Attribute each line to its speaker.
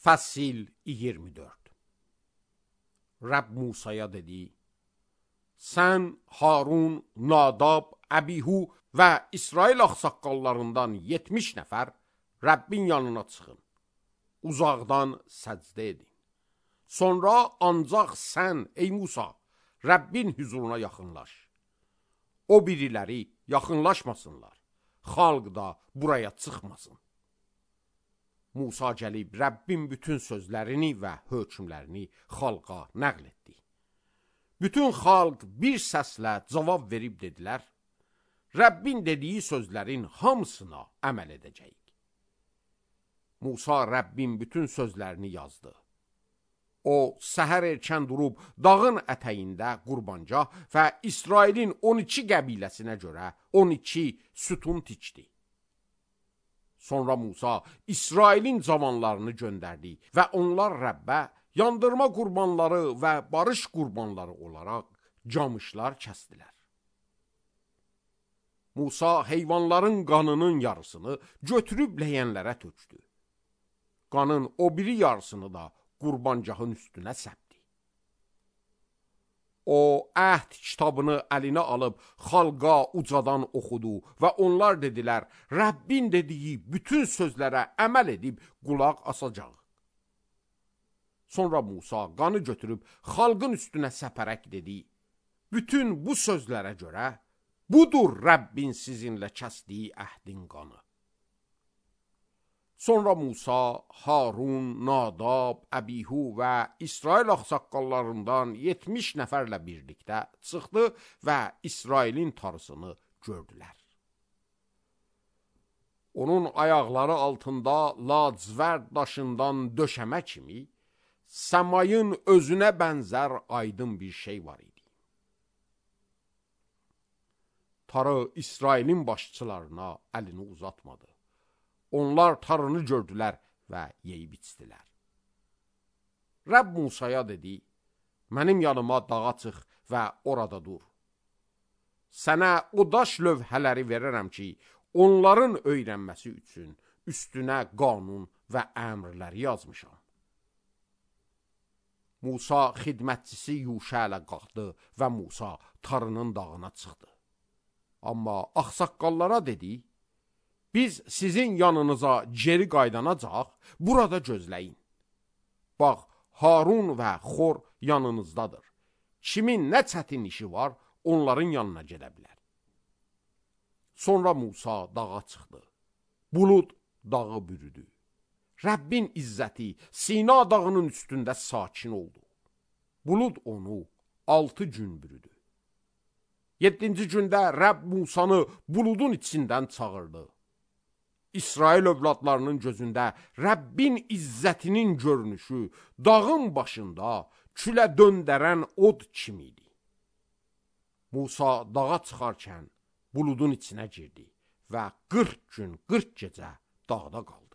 Speaker 1: Fəsil 24. Rəbb Musaya dedi: Sən Harun, Nadab, Əbihu və İsrail ağsaqqallarından 70 nəfər Rəbbin yanına çıxın. Uzaqdan səcdə edin. Sonra ancaq sən, ey Musa, Rəbbin huzuruna yaxınlaş. O biriləri yaxınlaşmasınlar. Xalq da buraya çıxmasın. Musa gəlib Rəbbin bütün sözlərini və hökmlərini xalqa nəql etdi. Bütün xalq bir səslə cavab verib dedilər: Rəbbin dediyi sözlərin hamısına əməl edəcəyik. Musa Rəbbin bütün sözlərini yazdı. O, səhər erkən durub dağın ətəyində qurbancaq və İsrailin 12 qəbiləsinə görə 12 sütun tikdi. Sonra Musa İsrailin cavanlarını göndərdi və onlar Rəbbə yandırma qurbanları və barış qurbanları olaraq camışlar kəsdilər. Musa heyvanların qanının yarısını götürüb ləyənlərə tökdü. Qanın o biri yarısını da qurbancağın üstünə səpdi. O, əhd kitabını əlinə alıb xalqa ucadan oxudu və onlar dedilər: Rəbbin dediyi bütün sözlərə əməl edib qulaq asacaq. Sonra Musa qanı götürüb xalqın üstünə səpərək dedi: Bütün bu sözlərə görə budur Rəbbin sizinlə kəsdiyi əhdin qanı. Sonra Musa, Harun, Nadab, Əbihu və İsrail ağsaqqallarından 70 nəfərlə birlikdə çıxdı və İsrailin tarısını gördülər. Onun ayaqları altında lacivərd daşından döşəmə kimi səmayın özünə bənzər aydın bir şey var idi. Tarı İsrailin başçılarına əlini uzatmadı. Onlar tarını gördülər və yeyib içdilər. Rəbb Musaya dedi: Mənim yanıma dağa çıx və orada dur. Sənə o daş lövhələri verərəm ki, onların öyrənməsi üçün üstünə qanun və əmrləri yazmışam. Musa xidmətçisi Yuşa ilə qalxdı və Musa tarının dağına çıxdı. Amma ağsaqqallara dedi: Biz sizin yanınıza geri qaydanacaq, burada gözləyin. Bax, Harun və Xor yanınızdadır. Kimin nə çətin işi var, onların yanına gedə bilər. Sonra Musa dağa çıxdı. Bulud dağı bürüdü. Rəbbin izzəti Sina dağının üstündə sakin oldu. Bulud onu 6 gün bürüdü. 7-ci gündə Rəbb Musanı buludun içindən çağırdı. İsrail övladlarının gözündə Rəbbin izzətinin görünüşü dağın başında külə döndərən od kimi idi. Musa dağa çıxarkən buludun içinə girdi və 40 gün 40 gecə dağda qaldı.